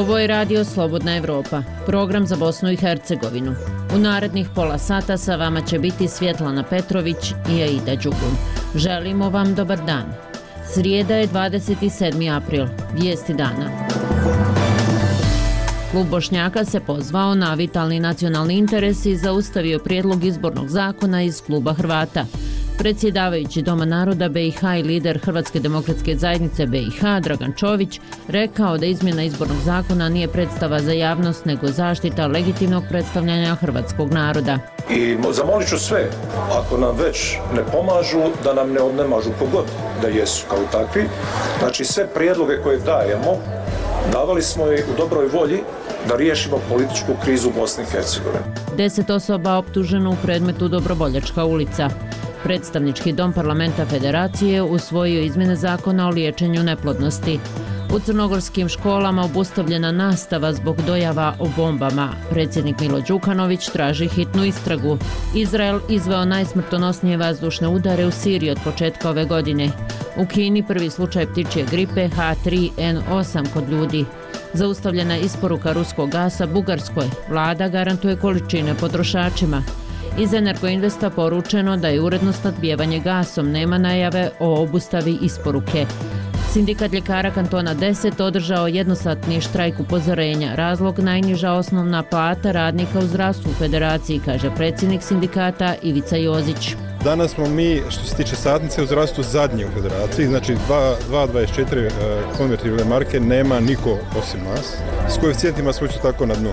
Ovo je Radio Slobodna Evropa, program za Bosnu i Hercegovinu. U narednih pola sata sa vama će biti Svjetlana Petrović i Aida Đugun. Želimo vam dobar dan. Srijeda je 27. april, vijesti dana. Klub Bošnjaka se pozvao na vitalni nacionalni interes i zaustavio prijedlog izbornog zakona iz kluba Hrvata. Predsjedavajući Doma naroda BiH i lider Hrvatske demokratske zajednice BiH Dragan Čović rekao da izmjena izbornog zakona nije predstava za javnost nego zaštita legitimnog predstavljanja hrvatskog naroda. I zamolit ću sve, ako nam već ne pomažu, da nam ne odnemažu kogod da jesu kao takvi. Znači sve prijedloge koje dajemo, davali smo i u dobroj volji da riješimo političku krizu u Bosni i Hercegovini. 10 osoba optuženo u predmetu Dobrovoljačka ulica. Predstavnički dom parlamenta Federacije usvojio izmjene zakona o liječenju neplodnosti. U crnogorskim školama obustavljena nastava zbog dojava o bombama. Predsjednik Milo Đukanović traži hitnu istragu. Izrael izveo najsmrtonosnije vazdušne udare u Siriji od početka ove godine. U Kini prvi slučaj ptičje gripe H3N8 kod ljudi. Zaustavljena isporuka ruskog gasa Bugarskoj. Vlada garantuje količine potrošačima. Iz Energoinvesta poručeno da je uredno snabdijevanje gasom, nema najave o obustavi isporuke. Sindikat ljekara kantona 10 održao jednosatni štrajk upozorenja. Razlog najniža osnovna plata radnika u zdravstvu u Federaciji, kaže predsjednik sindikata Ivica Jozić. Danas smo mi, što se tiče satnice u zdravstvu, zadnji u Federaciji, znači 2,24 konvertibilne marke nema niko osim nas. S koeficijentima smo isto tako na dnu.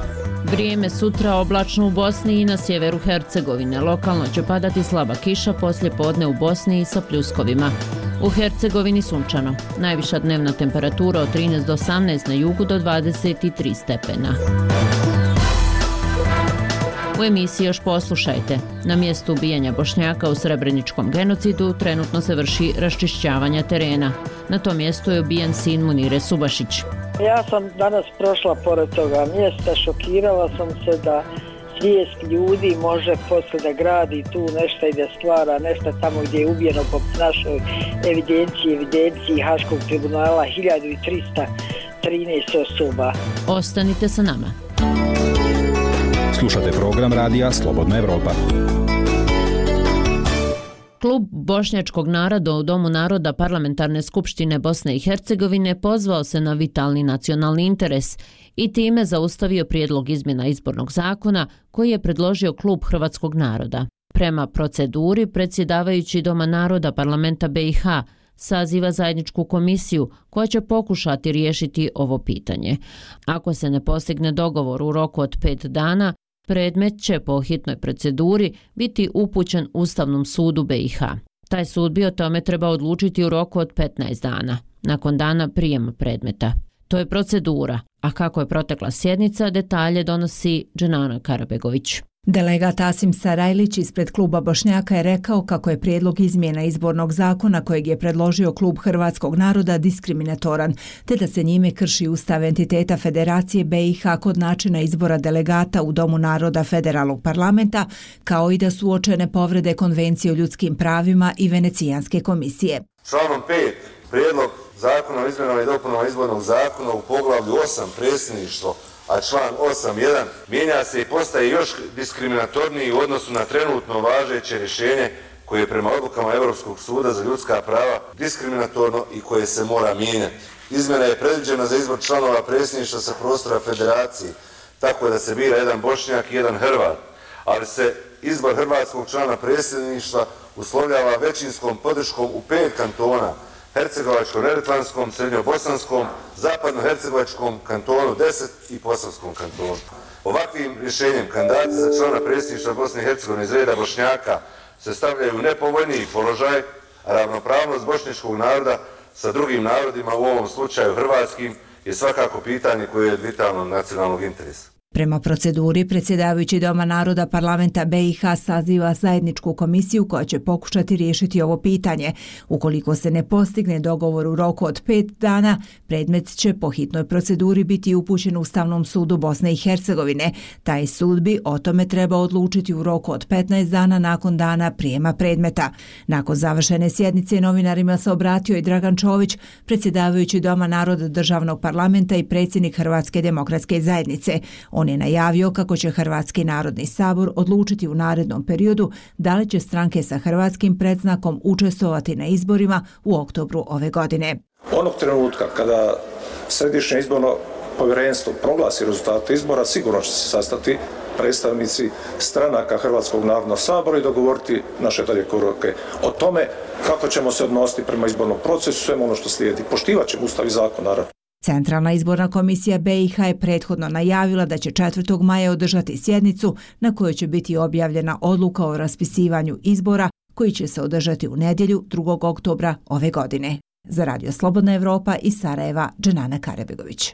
Vrijeme sutra oblačno u Bosni i na sjeveru Hercegovine. Lokalno će padati slaba kiša, poslije podne u Bosni i sa pljuskovima. U Hercegovini sunčano. Najviša dnevna temperatura od 13 do 18, na jugu do 23 stepena. U emisiji još poslušajte. Na mjestu ubijanja Bošnjaka u Srebreničkom genocidu trenutno se vrši raščišćavanje terena. Na tom mjestu je ubijen sin Munire Subašić. Ja sam danas prošla pored toga mjesta, šokirala sam se da svijest ljudi može poslije da gradi tu nešto i da stvara nešto tamo gdje je ubijeno po našoj evidenciji Haškog tribunala 1313 osoba. Ostanite sa nama. Slušate program radija Slobodna Evropa. Klub Bošnjačkog naroda u Domu naroda Parlamentarne skupštine Bosne i Hercegovine pozvao se na vitalni nacionalni interes i time zaustavio prijedlog izmjena izbornog zakona koji je predložio Klub Hrvatskog naroda. Prema proceduri, predsjedavajući Doma naroda Parlamenta BiH saziva zajedničku komisiju koja će pokušati riješiti ovo pitanje. Ako se ne postigne dogovor u roku od 5 dana, predmet će po hitnoj proceduri biti upućen Ustavnom sudu BiH. Taj sud bi o tome treba odlučiti u roku od 15 dana, nakon dana prijema predmeta. To je procedura, a kako je protekla sjednica, detalje donosi Dženana Karabegović. Delegat Asim Sarajlić ispred kluba Bošnjaka je rekao kako je prijedlog izmjena izbornog zakona kojeg je predložio klub Hrvatskog naroda diskriminatoran, te da se njime krši ustav entiteta Federacije BiH kod načina izbora delegata u Domu naroda Federalnog parlamenta, kao i da su uočene povrede Konvencije o ljudskim pravima i Venecijanske komisije. Članom 5 prijedlog zakona o izmjenama i dopunama izbornog zakona u poglavlju 8 predsjedništvo, a član 8.1 mijenja se i postaje još diskriminatorniji u odnosu na trenutno važeće rješenje koje je prema odlukama Europskog suda za ljudska prava diskriminatorno i koje se mora mijenjati. Izmjena je predviđena za izbor članova predsjedništva sa prostora Federacije, tako da se bira jedan Bošnjak i jedan Hrvat, ali se izbor hrvatskog člana predsjedništva uslovljava većinskom podrškom u 5 kantona: Hercegovačko-neretvanskom, Srednjobosanskom, Zapadno-hercegovačkom kantonu 10 i Posavskom kantonu. Ovakvim rješenjem kandidati za člana predsjedništva Bosne i Hercegovine iz reda Bošnjaka se stavljaju u nepovoljniji položaj, a ravnopravnost bošnjačkog naroda sa drugim narodima, u ovom slučaju hrvatskim, je svakako pitanje koje je od vitalnog nacionalnog interesa. Prema proceduri, predsjedavajući Doma naroda parlamenta BiH saziva zajedničku komisiju koja će pokušati riješiti ovo pitanje. Ukoliko se ne postigne dogovor u roku od 5 dana, predmet će po hitnoj proceduri biti upućen Ustavnom sudu Bosne i Hercegovine. Taj sud bi o tome trebao odlučiti u roku od 15 dana nakon dana prijema predmeta. Nakon završene sjednice novinarima se obratio i Dragan Čović, predsjedavajući Doma naroda državnog parlamenta i predsjednik Hrvatske demokratske zajednice. On je najavio kako će Hrvatski narodni sabor odlučiti u narednom periodu da li će stranke sa hrvatskim predznakom učestvovati na izborima u oktobru ove godine. Onog trenutka kada Središnje izborno povjerenstvo proglasi rezultate izbora, sigurno će se sastati predstavnici stranaka Hrvatskog narodnog sabora i dogovoriti naše dalje korake o tome kako ćemo se odnositi prema izbornom procesu, svemu ono što slijedi. Poštivat ćemo Ustav i zakon, naravno. Centralna izborna komisija BiH je prethodno najavila da će 4. maja održati sjednicu na kojoj će biti objavljena odluka o raspisivanju izbora koji će se održati u nedjelju 2. oktobra ove godine. Za Radio Slobodna Evropa iz Sarajeva, Dženana Karebegović.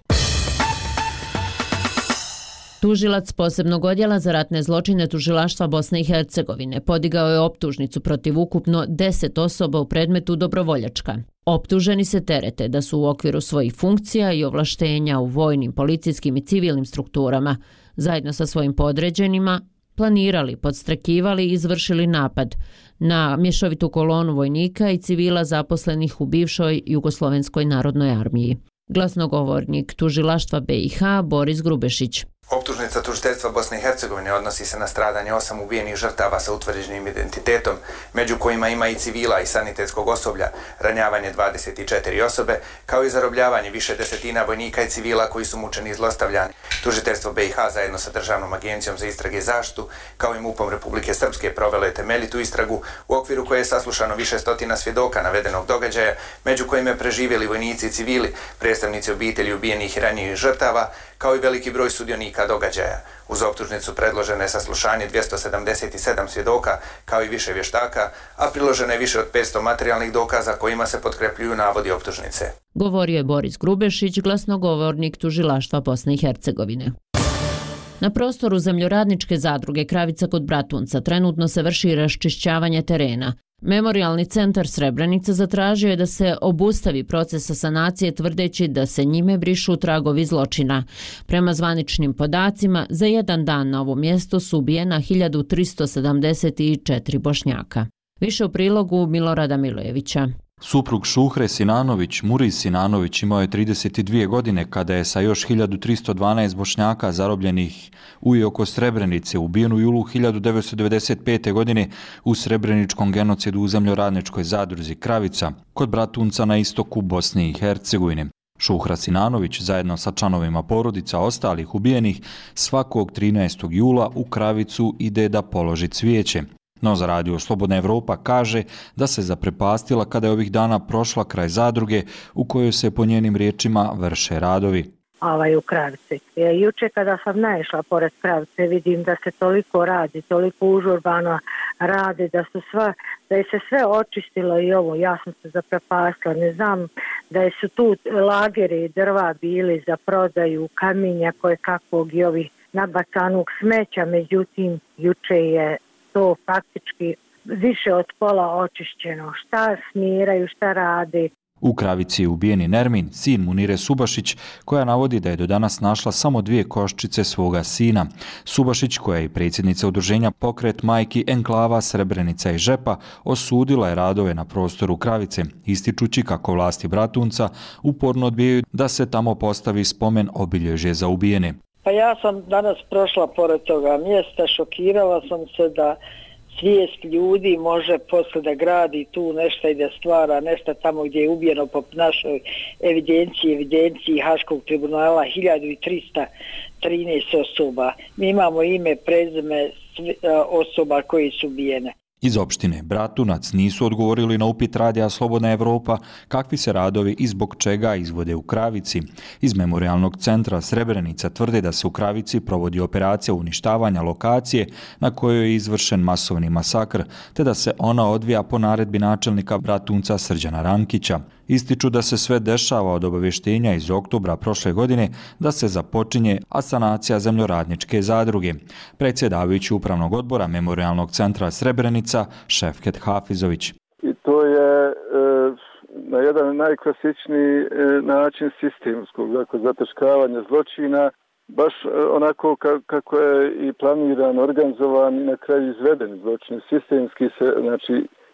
Tužilac posebnog odjela za ratne zločine Tužilaštva Bosne i Hercegovine podigao je optužnicu protiv ukupno 10 osoba u predmetu Dobrovoljačka. Optuženi se terete da su u okviru svojih funkcija i ovlaštenja u vojnim, policijskim i civilnim strukturama, zajedno sa svojim podređenima, planirali, podstrekivali i izvršili napad na mješovitu kolonu vojnika i civila zaposlenih u bivšoj Jugoslovenskoj narodnoj armiji. Glasnogovornik Tužilaštva BiH Boris Grubešić. Optužnica tužiteljstva Bosne i Hercegovine odnosi se na stradanje 8 ubijenih žrtava sa utvrđenim identitetom, među kojima ima i civila i sanitetskog osoblja, ranjavanje 24 osobe, kao i zarobljavanje više desetina vojnika i civila koji su mučeni i zlostavljani. Tužiteljstvo BiH zajedno sa Državnom agencijom za istrage i zaštitu, kao i MUP-om Republike Srpske, provelo je temeljitu istragu u okviru koje je saslušano više stotina svjedoka navedenog događaja, među kojima je preživjeli vojnici i civili, predstavnici obitelji ubijenih i ranjenih žrtava, kao i veliki broj sudionika događaja. Uz optužnicu predloženo je saslušanje 277 svjedoka, kao i više vještaka, a priloženo je više od 500 materijalnih dokaza kojima se potkrepljuju navodi optužnice. Govorio je Boris Grubešić, glasnogovornik Tužilaštva Bosne i Hercegovine. Na prostoru zemljoradničke zadruge Kravica kod Bratunca trenutno se vrši raščišćavanje terena. Memorijalni centar Srebrenica zatražio je da se obustavi proces sanacije tvrdeći da se njime brišu tragovi zločina. Prema zvaničnim podacima, za jedan dan na ovom mjestu su ubijena 1374 Bošnjaka. Više u prilogu Milorada Milojevića. Suprug Šuhre Sinanović, Muriz Sinanović, imao je 32 godine kada je sa još 1312 Bošnjaka zarobljenih u i oko Srebrenice ubijen u julu 1995. godine u srebreničkom genocidu u zemljoradničkoj zadruzi Kravica kod Bratunca na istoku Bosne i Hercegovine. Šuhra Sinanović zajedno sa članovima porodica ostalih ubijenih svakog 13. jula u Kravicu ide da položi cvijeće. No za Radio Slobodna Evropa kaže da se zaprepastila kada je ovih dana prošla kraj zadruge u kojoj se po njenim riječima vrše radovi. U Kravici. Juče kada sam naišla pored Kravice vidim da se toliko radi, toliko užurbano radi, da je se sve očistilo i ovo, ja sam se zaprepastila. Ne znam da su tu lageri drva bili za prodaju, kamenja koje kakvog i ovih nabacanog smeća, međutim juče je to faktički više od pola očišćeno. Šta smiraju, šta radi. U Kravici je ubijeni Nermin, sin Munire Subašić, koja navodi da je do danas našla samo 2 koščice svoga sina. Subašić, koja je i predsjednica udruženja Pokret majki enklava Srebrenica i Žepa, osudila je radove na prostoru Kravice, ističući kako vlasti Bratunca uporno odbijaju da se tamo postavi spomen obilježje za ubijene. Pa ja sam danas prošla pored toga mjesta, šokirala sam se da svijest ljudi može posle da gradi tu nešto i da stvara nešto tamo gdje je ubijeno po našoj evidenciji Haškog tribunala 1313 osoba. Mi imamo ime, prezime osoba koji su ubijene. Iz opštine Bratunac nisu odgovorili na upit radija Slobodna Evropa kakvi se radovi i zbog čega izvode u Kravici. Iz Memorialnog centra Srebrenica tvrde da se u Kravici provodi operacija uništavanja lokacije na kojoj je izvršen masovni masakr, te da se ona odvija po naredbi načelnika Bratunca Srđana Rankića. Ističu da se sve dešava od obavještenja iz oktobra prošle godine da se započinje asanacija zemljoradničke zadruge. Predsjedavajući upravnog odbora Memorialnog centra Srebrenica Šefket Hafizović. I to je na jedan najklasičniji način sistemskog, dakle zataškavanja zločina, baš onako kako je i planiran, organizovan i na kraju izveden zločin. Sistemski se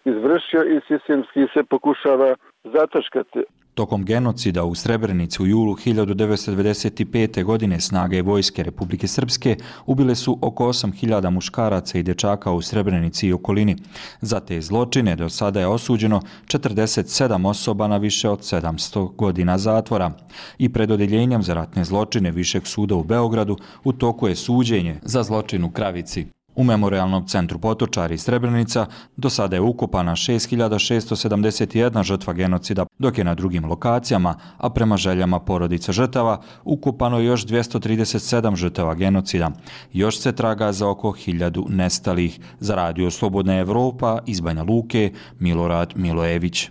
izvršio i sistemski se pokušava zataškati. Tokom genocida u Srebrenici u julu 1995. godine snage vojske Republike Srpske ubile su oko 8.000 muškaraca i dečaka u Srebrenici i okolini. Za te zločine do sada je osuđeno 47 osoba na više od 700 godina zatvora. I pred odjeljenjem za ratne zločine Višeg suda u Beogradu u toku je suđenje za zločin u Kravici. U Memorialnom centru Potočari i Srebrenica do sada je ukopana 6.671 žrtva genocida, dok je na drugim lokacijama, a prema željama porodica žrtava, ukopano je još 237 žrtava genocida. Još se traga za oko 1000 nestalih. Za radio Slobodna Evropa iz Banja Luke, Milorad Milojević.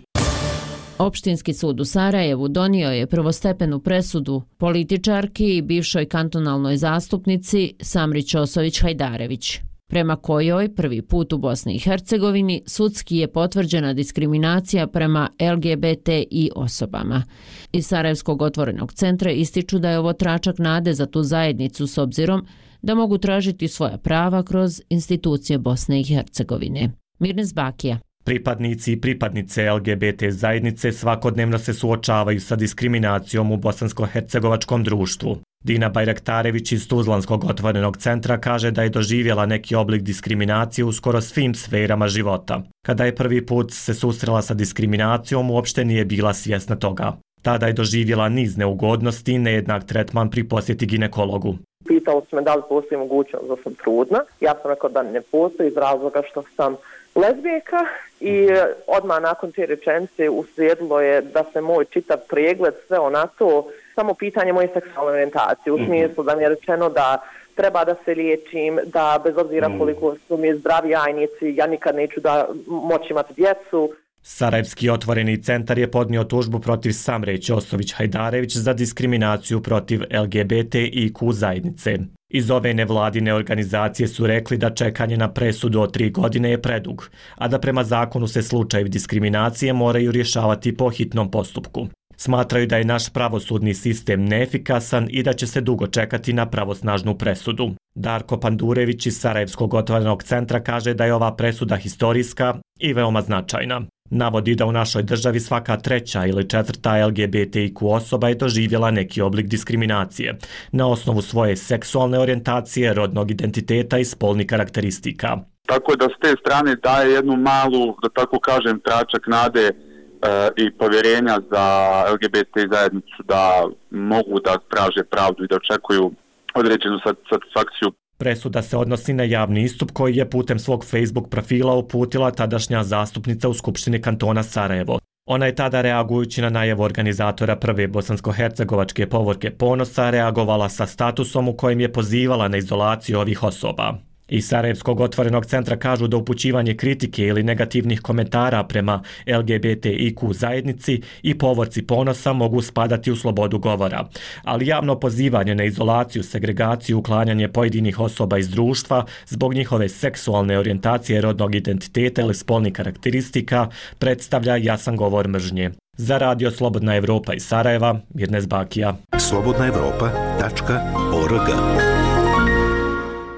Opštinski sud u Sarajevu donio je prvostepenu presudu političarki i bivšoj kantonalnoj zastupnici Samri Ćosović-Hajdarević, prema kojoj prvi put u Bosni i Hercegovini sudski je potvrđena diskriminacija prema LGBTI osobama. Iz Sarajevskog otvorenog centra ističu da je ovo tračak nade za tu zajednicu s obzirom da mogu tražiti svoja prava kroz institucije Bosne i Hercegovine. Mirnes Bakija. Pripadnici i pripadnice LGBT zajednice svakodnevno se suočavaju sa diskriminacijom u bosansko-hercegovačkom društvu. Dina Bajraktarević iz Tuzlanskog otvorenog centra kaže da je doživjela neki oblik diskriminacije u skoro svim sferama života. Kada je prvi put se susrela sa diskriminacijom, uopšte nije bila svjesna toga. Tada je doživjela niz neugodnosti i nejednak tretman pri posjeti ginekologu. Pitao su me da li postoji mogućnost da sam trudna. Ja sam rekao da ne postoji iz razloga što sam lezbijka i odmah nakon te rečenice uslijedilo je da se moj čitav pregled sve na to, samo pitanje moje seksualne orijentacije. U smislu da mi je rečeno da treba da se liječim, da bez obzira koliko su mi zdravi jajnici, ja nikad neću da moći imati djecu. Sarajevski otvoreni centar je podnio tužbu protiv Samre Ćosović-Hajdarević za diskriminaciju protiv LGBTIQ zajednice. Iz ove nevladine organizacije su rekli da čekanje na presudu od 3 godine je predug, a da prema zakonu se slučajevi diskriminacije moraju rješavati po hitnom postupku. Smatraju da je naš pravosudni sistem neefikasan i da će se dugo čekati na pravosnažnu presudu. Darko Pandurević iz Sarajevskog otvorenog centra kaže da je ova presuda historijska i veoma značajna. Navodi da u našoj državi svaka 3. ili 4. LGBTIQ osoba je doživjela neki oblik diskriminacije na osnovu svoje seksualne orijentacije, rodnog identiteta i spolnih karakteristika. Tako da s te strane daje jednu malu, da tako kažem, tračak nade i povjerenja za LGBT zajednicu da mogu da traže pravdu i da očekuju određenu satisfakciju. Presuda se odnosi na javni istup koji je putem svog Facebook profila uputila tadašnja zastupnica u Skupštini kantona Sarajevo. Ona je tada, reagujući na najavu organizatora prve bosansko-hercegovačke povorke Ponosa, reagovala sa statusom u kojem je pozivala na izolaciju ovih osoba. Iz Sarajevskog otvorenog centra kažu da upućivanje kritike ili negativnih komentara prema LGBTIQ zajednici i povorci Ponosa mogu spadati u slobodu govora, ali javno pozivanje na izolaciju, segregaciju, uklanjanje pojedinih osoba iz društva zbog njihove seksualne orijentacije, rodnog identiteta ili spolnih karakteristika predstavlja jasan govor mržnje. Za radio Slobodna Evropa iz Sarajeva, Mirnes Bakija. slobodnaevropa.org.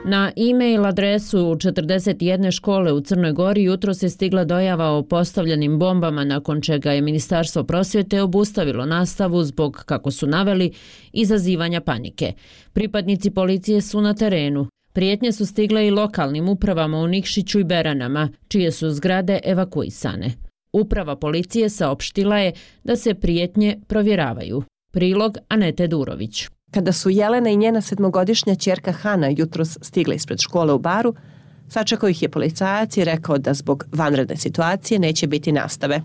Na e-mail adresu 41 škole u Crnoj Gori jutros je stigla dojava o postavljenim bombama, nakon čega je Ministarstvo prosvjete obustavilo nastavu zbog, kako su naveli, izazivanja panike. Pripadnici policije su na terenu. Prijetnje su stigle i lokalnim upravama u Nikšiću i Beranama, čije su zgrade evakuisane. Uprava policije saopštila je da se prijetnje provjeravaju. Prilog Anete Durović. Kada su Jelena i njena 7-godišnja ćerka Hana jutros stigle ispred škole u Baru, Sačekao ih je policajac i rekao da zbog vanredne situacije neće biti nastave.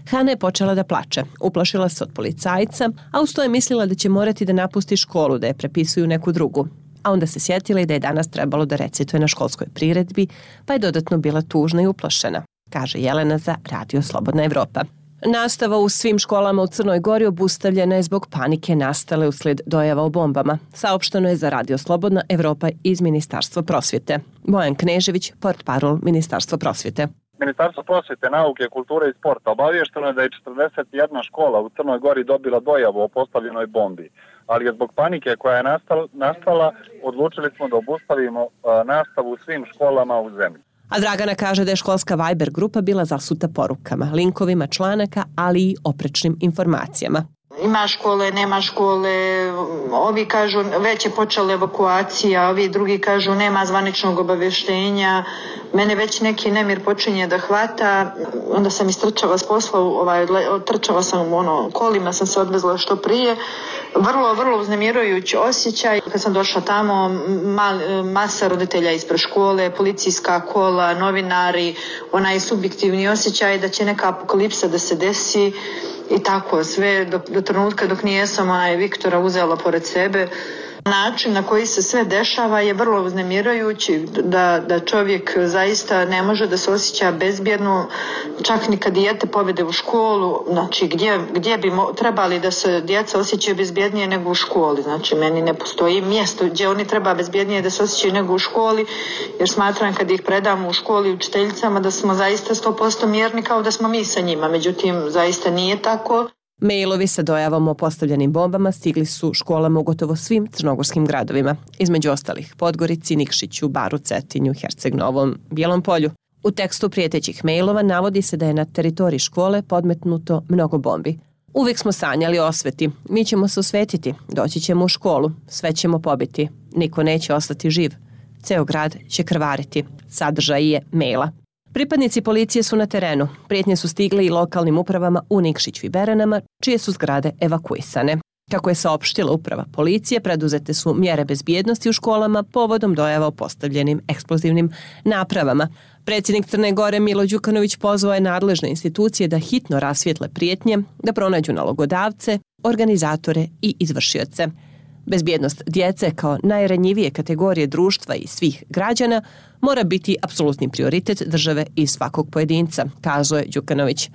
Hana je počela da plače, uplašila se od policajca, a uz to je mislila da će morati da napusti školu, da je prepisuju neku drugu. A onda se sjetila i da je danas trebalo da recituje na školskoj priredbi, pa je dodatno bila tužna i uplašena, kaže Jelena za Radio Slobodna Evropa. Nastava u svim školama u Crnoj Gori obustavljena je zbog panike nastale uslijed dojava o bombama. Saopšteno je za Radio Slobodna Evropa iz Ministarstva prosvjete. Bojan Knežević, portparol Ministarstva prosvjete. Ministarstvo prosvjete, nauke, kulture i sporta obaviješteno je da je 41 škola u Crnoj Gori dobila dojavu o postavljenoj bombi, ali je zbog panike koja je nastala odlučili smo da obustavimo nastavu u svim školama u zemlji. A Dragana kaže da je školska Viber grupa bila zasuta porukama, linkovima članaka, ali i oprečnim informacijama. Ima škole, nema škole, ovi kažu već je počela evakuacija, ovi drugi kažu nema zvaničnog obavještenja, mene već neki nemir počinje da hvata, onda sam istrčala s posla, trčala sam kolima, sam se odvezla što prije, vrlo uznemirujući osjećaj. Kad sam došla tamo, masa roditelja ispred škole, policijska kola, novinari, onaj subjektivni osjećaj da će neka apokalipsa da se desi. I tako sve do trenutka dok nijesam Viktora uzela pored sebe. Način na koji se sve dešava je vrlo uznemirajući, da čovjek zaista ne može da se osjeća bezbjedno, čak ni kad dijete povede u školu, znači gdje bi trebali da se djeca osjećaju bezbjednije nego u školi. Znači meni ne postoji mjesto gdje oni treba bezbjednije da se osjećaju nego u školi, jer smatram kad ih predamo u školi učiteljicama da smo zaista 100% mjerni kao da smo mi sa njima, međutim zaista nije tako. Mailovi sa dojavom o postavljenim bombama stigli su školama u gotovo svim crnogorskim gradovima, između ostalih Podgorici, Nikšiću, Baru, Cetinju, Herceg Novom, Bijelom Polju. U tekstu prijetećih mailova navodi se da je na teritoriji škole podmetnuto mnogo bombi. Uvijek smo sanjali o osveti, mi ćemo se osvetiti, doći ćemo u školu, sve ćemo pobiti, niko neće ostati živ, ceo grad će krvariti, sadržaj je maila. Pripadnici policije su na terenu. Prijetnje su stigle i lokalnim upravama u Nikšiću i Beranama, čije su zgrade evakuisane. Kako je saopštila uprava policije, preduzete su mjere bezbjednosti u školama povodom dojava o postavljenim eksplozivnim napravama. Predsjednik Crne Gore Milo Đukanović pozvao je nadležne institucije da hitno rasvijetle prijetnje, da pronađu nalogodavce, organizatore i izvršioce. Bezbjednost djece kao najranjivije kategorije društva i svih građana mora biti apsolutni prioritet države i svakog pojedinca, kazuje Đukanović.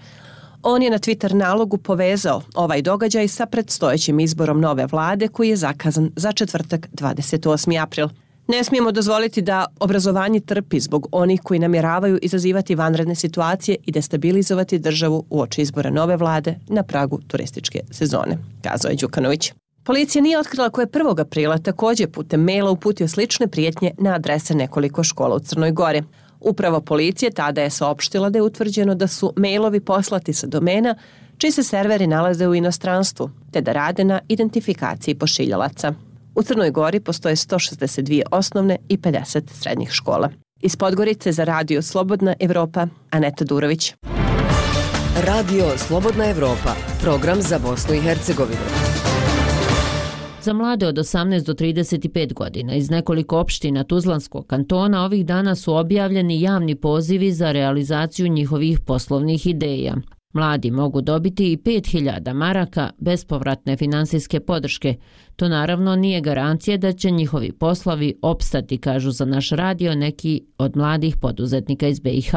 On je na Twitter nalogu povezao ovaj događaj sa predstojećim izborom nove vlade koji je zakazan za četvrtak 28. april. Ne smijemo dozvoliti da obrazovanje trpi zbog onih koji namjeravaju izazivati vanredne situacije i destabilizovati državu uoči izbora nove vlade na pragu turističke sezone, kazuje Đukanović. Policija nije otkrila ko je 1. aprila također putem maila uputio slične prijetnje na adrese nekoliko škola u Crnoj Gori. Upravo policije tada je saopštila da je utvrđeno da su mailovi poslati sa domena čiji se serveri nalaze u inostranstvu, te da rade na identifikaciji pošiljalaca. U Crnoj Gori postoje 162 osnovne i 50 srednjih škola. Iz Podgorice za Radio Slobodna Evropa, Aneta Durović. Radio Slobodna Evropa, program za Bosnu i Hercegovinu. Za mlade od 18 do 35 godina iz nekoliko opština Tuzlanskog kantona ovih dana su objavljeni javni pozivi za realizaciju njihovih poslovnih ideja. Mladi mogu dobiti i 5.000 maraka bespovratne finansijske podrške. To naravno nije garancija da će njihovi poslovi opstati, kažu za naš radio neki od mladih poduzetnika iz BiH.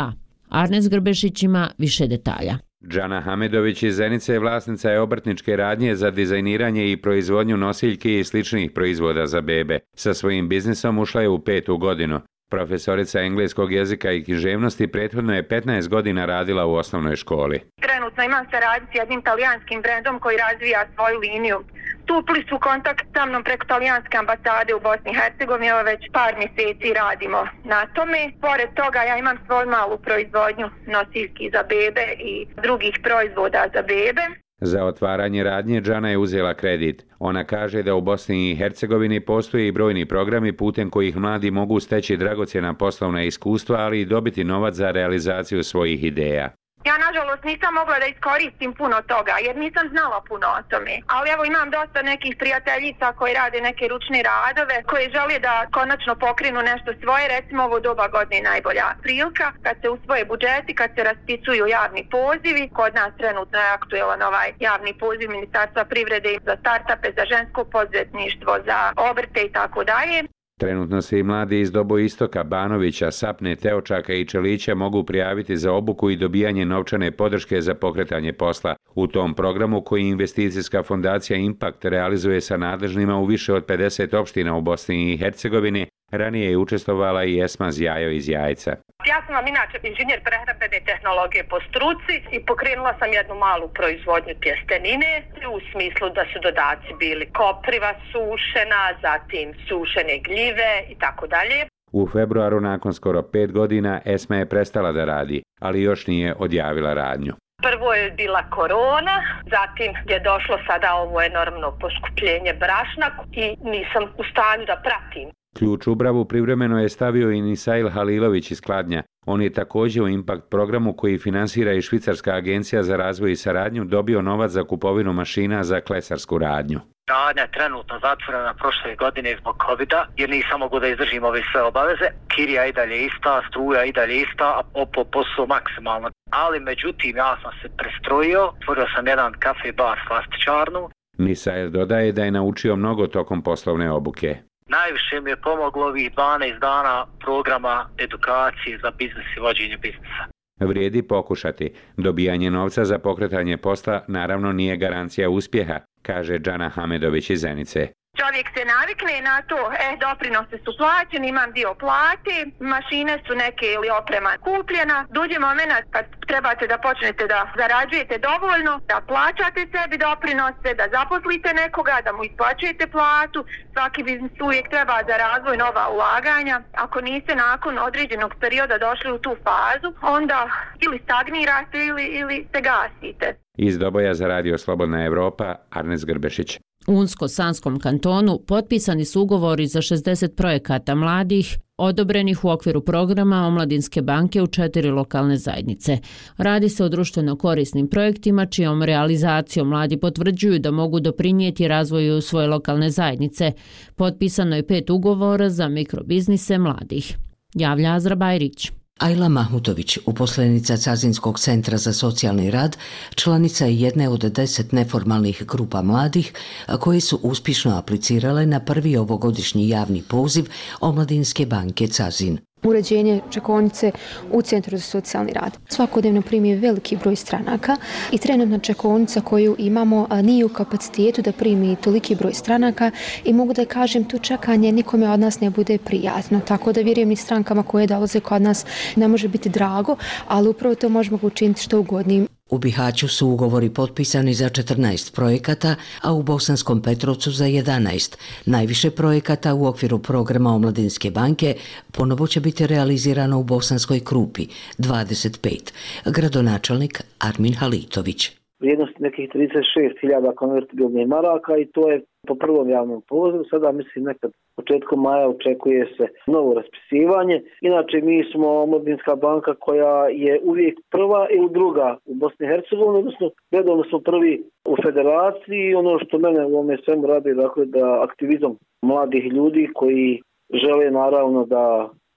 Arnes Grbešić ima više detalja. Džana Hamedović iz Zenice je vlasnica je obrtničke radnje za dizajniranje i proizvodnju nosiljki i sličnih proizvoda za bebe. Sa svojim biznisom ušla je u 5. godinu. Profesorica engleskog jezika i književnosti prethodno je 15 godina radila u osnovnoj školi. Trenutno imam saradnju s jednim talijanskim brendom koji razvija svoju liniju. Stupili su u kontakt sa mnom preko talijanske ambasade u Bosni i Hercegovini, evo već par mjeseci radimo na tome. Pored toga ja imam svoju malu proizvodnju nosiljki za bebe i drugih proizvoda za bebe. Za otvaranje radnje Džana je uzela kredit. Ona kaže da u Bosni i Hercegovini postoje i brojni programi putem kojih mladi mogu steći dragocjena poslovna iskustva, ali i dobiti novac za realizaciju svojih ideja. Ja nažalost nisam mogla da iskoristim puno toga jer nisam znala puno o tome. Ali evo imam dosta nekih prijateljica koji rade neke ručne radove, koji žele da konačno pokrenu nešto svoje. Recimo ovo doba godine je najbolja prilika kad se usvoje budžeti, kad se raspisuju javni pozivi. Kod nas trenutno je aktuelan ovaj javni poziv Ministarstva privrede za startupe, za žensko poduzetništvo, za obrte i tako dalje. Trenutno se i mladi iz Doboistoka, Banovića, Sapne, Teočaka i Čelića mogu prijaviti za obuku i dobijanje novčane podrške za pokretanje posla. U tom programu koji investicijska fondacija Impact realizuje sa nadležnima u više od 50 opština u Bosni i Hercegovini, ranije je učestvovala i Esma Zjajo iz Jajca. Ja sam vam inače inženjer prehrambene tehnologije po struci i pokrenula sam jednu malu proizvodnju tjestenine u smislu da su dodaci bili kopriva sušena, zatim sušene gljive i tako dalje. U februaru nakon skoro 5 godina Esma je prestala da radi, ali još nije odjavila radnju. Prvo je bila korona, zatim je došlo sada ovo enormno poskupljenje brašna i nisam u stanju da pratim. Ključ u bravu privremeno je stavio i Nisail Halilović iz Kladnja. On je također u Impact programu koji finansira i Švicarska agencija za razvoj i saradnju dobio novac za kupovinu mašina za klesarsku radnju. Radnja je trenutno zatvorena prošle godine zbog COVID-a jer nisam mogu da izdržim ove sve obaveze. Kirija i dalje ista, struja i dalje ista, a posao maksimalno. Ali međutim ja sam se prestrojio, otvorio sam jedan kafe bar slastičarnu. Nisail dodaje da je naučio mnogo tokom poslovne obuke. Najviše mi je pomoglo ovih 12 dana programa edukacije za biznis i vođenje biznisa. Vrijedi pokušati. Dobijanje novca za pokretanje posla naravno nije garancija uspjeha, kaže Džana Hamedović iz Zenice. Čovjek se navikne na to, doprinose su plaćeni, imam dio plate, mašine su neke ili oprema kupljena. Dođe moment kad trebate da počnete da zarađujete dovoljno, da plaćate sebi doprinose, da zaposlite nekoga, da mu isplaćujete platu. Svaki biznis uvijek treba za razvoj nova ulaganja. Ako niste nakon određenog perioda došli u tu fazu, onda ili stagnirate ili se gasite. Iz Doboja za Radio Slobodna Evropa, Arnes Grbešić. U Unsko-Sanskom kantonu potpisani su ugovori za 60 projekata mladih, odobrenih u okviru programa Omladinske banke u 4 lokalne zajednice. Radi se o društveno korisnim projektima čijom realizacijom mladi potvrđuju da mogu doprinijeti razvoju svoje lokalne zajednice. Potpisano je 5 ugovora za mikrobiznise mladih. Javlja Azra Bajrić. Ajla Mahmutović, uposlenica Cazinskog centra za socijalni rad, članica je jedne od 10 neformalnih grupa mladih koje su uspješno aplicirale na prvi ovogodišnji javni poziv Omladinske banke Cazin. Uređenje čekaonice u Centru za socijalni rad. Svakodnevno primi veliki broj stranaka i trenutna čekaonica koju imamo nije u kapacitetu da primi toliki broj stranaka i mogu da kažem tu čekanje nikome od nas ne bude prijatno. Tako da vjerujem i strankama koje dolaze kod nas ne može biti drago, ali upravo to možemo učiniti što ugodnijim. U Bihaću su ugovori potpisani za 14 projekata, a u Bosanskom Petrovcu za 11. Najviše projekata u okviru programa Omladinske banke ponovo će biti realizirano u Bosanskoj Krupi, 25. Gradonačelnik Armin Halitović. Vrijednost nekih 36.000 konvertibilnih maraka i to je po prvom javnom pozivu. Sada mislim nekad početkom maja očekuje se novo raspisivanje. Inače mi smo Omladinska banka koja je uvijek prva ili druga u Bosni i Hercegovini, odnosno redovno smo prvi u federaciji. Ono što mene u ovome svemu radi, dakle, da aktivizam mladih ljudi koji žele naravno da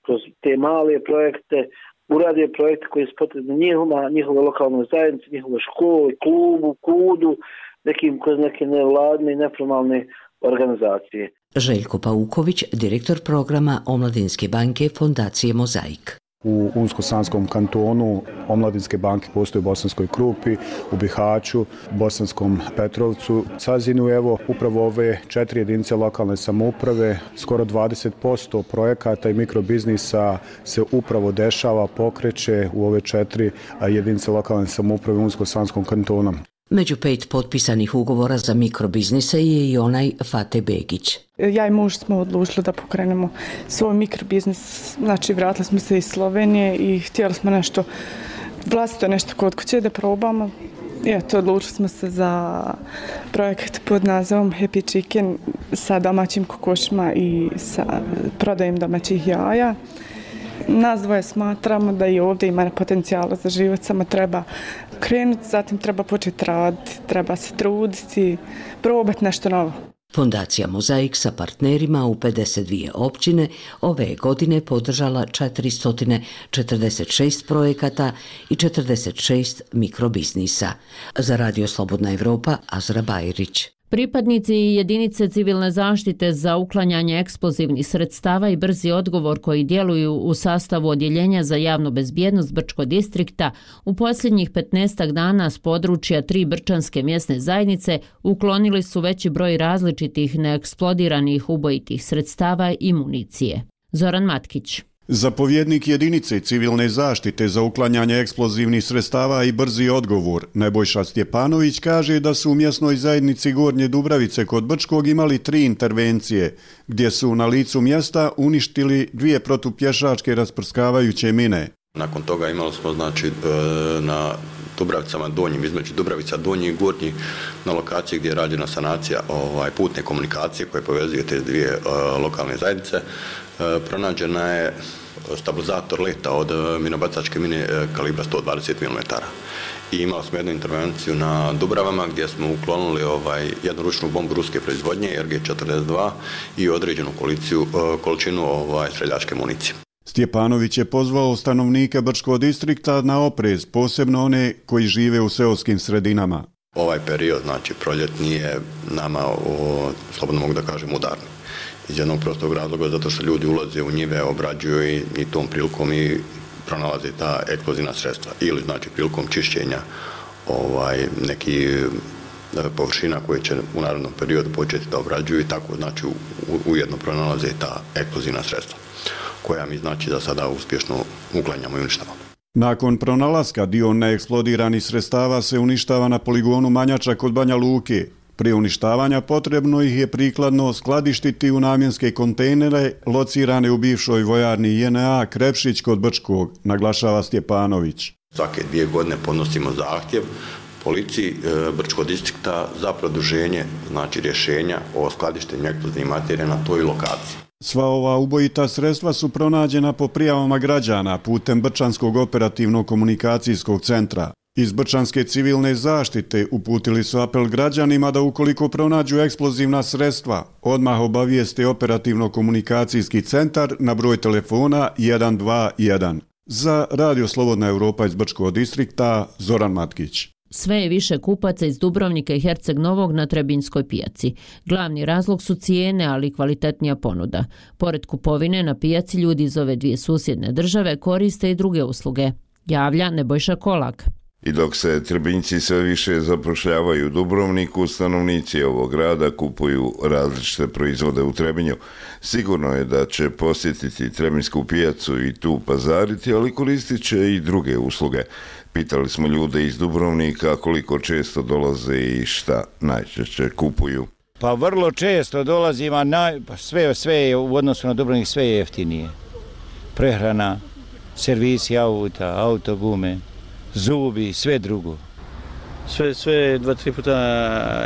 kroz te male projekte urade projekte koji su potrebni njihove lokalnoj zajednici, njihove škole, klubu, kudu, kroz neke nevladne i neformalne organizacije. Željko Pauković, direktor programa Omladinske banke Fondacije Mozaik. U Unsko-Sanskom kantonu Omladinske banke postoji u Bosanskoj Krupi, u Bihaću, Bosanskom Petrovcu, Cazinu. Evo, upravo ove 4 jedinice lokalne samouprave, skoro 20% projekata i mikrobiznisa se upravo dešava, pokreće u ove 4 jedinice lokalne samouprave u Unsko-Sanskom kantonu. Među 5 potpisanih ugovora za mikrobiznise je i onaj Fate Begić. Ja i muž smo odlučili da pokrenemo svoj mikrobiznis. Znači, vratili smo se iz Slovenije i htjeli smo nešto vlastito, nešto kod kuće da probamo. I eto, odlučili smo se za projekt pod nazivom Happy Chicken sa domaćim kokošima i sa prodajem domaćih jaja. Nas dvoje smatramo da i ovdje ima potencijala za život, samo treba krenuti, zatim treba početi raditi, treba se truditi, probati nešto novo. Fondacija Mozaik sa partnerima u 52 općine ove godine podržala 446 projekata i 46 mikrobiznisa. Za Radio Slobodna Evropa, Azra Bajrić. Pripadnici jedinice civilne zaštite za uklanjanje eksplozivnih sredstava i brzi odgovor koji djeluju u sastavu odjeljenja za javnu bezbjednost Brčkog distrikta u posljednjih 15 dana s područja 3 brčanske mjesne zajednice uklonili su veći broj različitih neeksplodiranih ubojitih sredstava i municije. Zoran Matkić. Zapovjednik jedinice civilne zaštite za uklanjanje eksplozivnih sredstava i brzi odgovor Nebojša Stjepanović kaže da su u mjesnoj zajednici Gornje Dubravice kod Brčkog imali 3 intervencije, gdje su na licu mjesta uništili 2 protupješačke rasprskavajuće mine. Nakon toga imali smo na Dubravicama donjim, između Dubravica donji i gornji, na lokaciji gdje je rađena sanacija putne komunikacije koje povezuje te dvije lokalne zajednice. Pronađena je stabilizator leta od minobacačke mine kalibra 120 mm. I imali smo jednu intervenciju na Dubravama gdje smo uklonili jednu ručnu bombu ruske proizvodnje RG-42 i određenu količinu streljačke municije. Stjepanović je pozvao stanovnike Brčkog distrikta na oprez, posebno one koji žive u seoskim sredinama. Ovaj period, znači proljetni, je nama, slobodno mogu da kažem, udarni. Iz jednog prostog razloga, zato što ljudi ulaze u njive, obrađuju i tom prilikom i pronalaze ta eksplozivna sredstva. Ili znači prilikom čišćenja nekih površina koje će u narednom periodu početi da obrađuju i tako znači ujedno pronalaze ta eksplozivna sredstva, koja mi znači da sada uspješno uklanjamo i uništavamo. Nakon pronalaska dio neeksplodiranih sredstava se uništava na poligonu Manjača kod Banja Luke. Prije uništavanja potrebno ih je prikladno skladištiti u namjenske kontejnere locirane u bivšoj vojarni JNA Krepšić kod Brčkog, naglašava Stjepanović. Svake 2 godine podnosimo zahtjev policiji Brčkog distrikta za produženje znači rješenja o skladištenju eksplozivnih materija na toj lokaciji. Sva ova ubojita sredstva su pronađena po prijavama građana putem Brčanskog operativnog komunikacijskog centra. Iz Brčanske civilne zaštite uputili su apel građanima da ukoliko pronađu eksplozivna sredstva, odmah obavijeste operativno-komunikacijski centar na broj telefona 121. Za Radio Slobodna Evropa iz Brčkog distrikta, Zoran Matkić. Sve je više kupaca iz Dubrovnika i Herceg Novog na Trebinjskoj pijaci. Glavni razlog su cijene, ali i kvalitetnija ponuda. Pored kupovine na pijaci ljudi iz ove dvije susjedne države koriste i druge usluge. Javlja Nebojša Kolak. I dok se Trebinjci sve više zapošljavaju u Dubrovniku, stanovnici ovog grada kupuju različite proizvode u Trebinju. Sigurno je da će posjetiti Trebinjsku pijacu i tu pazariti, ali koristit će i druge usluge. Pitali smo ljude iz Dubrovnika koliko često dolaze i šta najčešće kupuju. Pa vrlo često dolazim, a sve je u odnosu na Dubrovnik sve je jeftinije. Prehrana, servisi auta, autogume, zubi, sve drugo. Sve 2-3 puta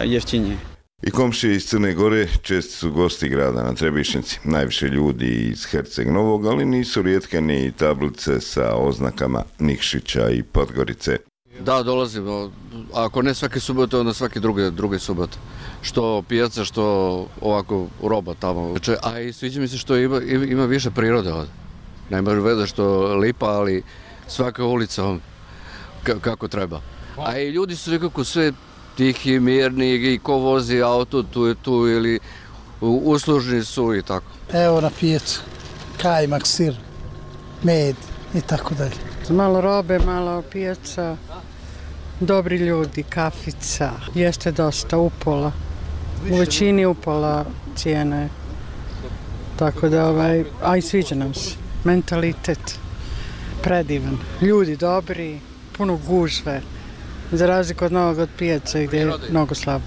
jeftinije. I komšije iz Crne Gore česti su gosti grada na Trebišnjici. Najviše ljudi iz Herceg Novog, ali nisu rijetke ni tablice sa oznakama Nikšića i Podgorice. Da, dolazimo. Ako ne svake subote, onda svake druge subote. Što pijaca, što ovako roba tamo. A i sviđa mi se što ima više prirode ovdje. Nema veze što lipa, ali svaka ulica kako treba. A i ljudi su nekako sve tihi, mirni, i ko vozi auto, tu je tu, ili uslužni su i tako. Evo na pijacu, kajmak, sir, med i tako dalje. Malo robe, malo pijaca, dobri ljudi, kafica, jeste dosta upola. U većini upola cijene. Tako da, a i sviđa nam se. Mentalitet predivan, ljudi dobri, puno gužve. Za razliku od Novog pijaca gdje je mnogo slabo.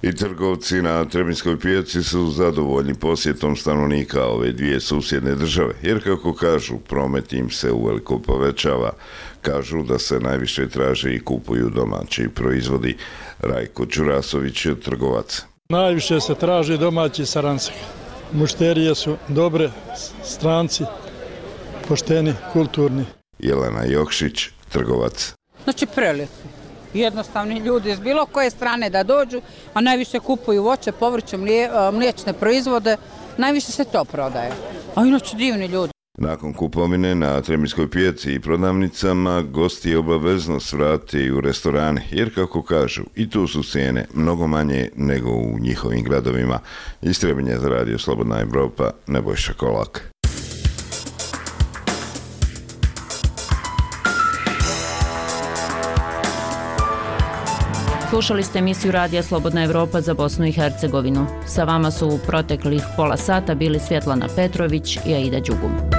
I trgovci na Trebinjskoj pijaci su zadovoljni posjetom stanovnika ove dvije susjedne države, jer kako kažu, promet im se uveliko povećava. Kažu da se najviše traže i kupuju domaći proizvodi. Rajko Đurasović je trgovac. Najviše se traže domaći saranci. Mušterije su dobre, stranci pošteni, kulturni. Jelena Jokšić, trgovac. Znači prelijepi. Jednostavni ljudi iz bilo koje strane da dođu, a najviše kupuju voće, povrće, mliječne proizvode, najviše se to prodaje. A inače divni ljudi. Nakon kupovine na Trebinjskoj pijaci i prodavnicama, gosti obavezno svrati u restorane, jer kako kažu, i tu su cijene mnogo manje nego u njihovim gradovima. Iz Trebinja za Radio Slobodna Evropa, Nebojša Kolak. Slušali ste emisiju Radija Slobodna Evropa za Bosnu i Hercegovinu. Sa vama su u proteklih pola sata bili Svjetlana Petrović i Aida Đugum.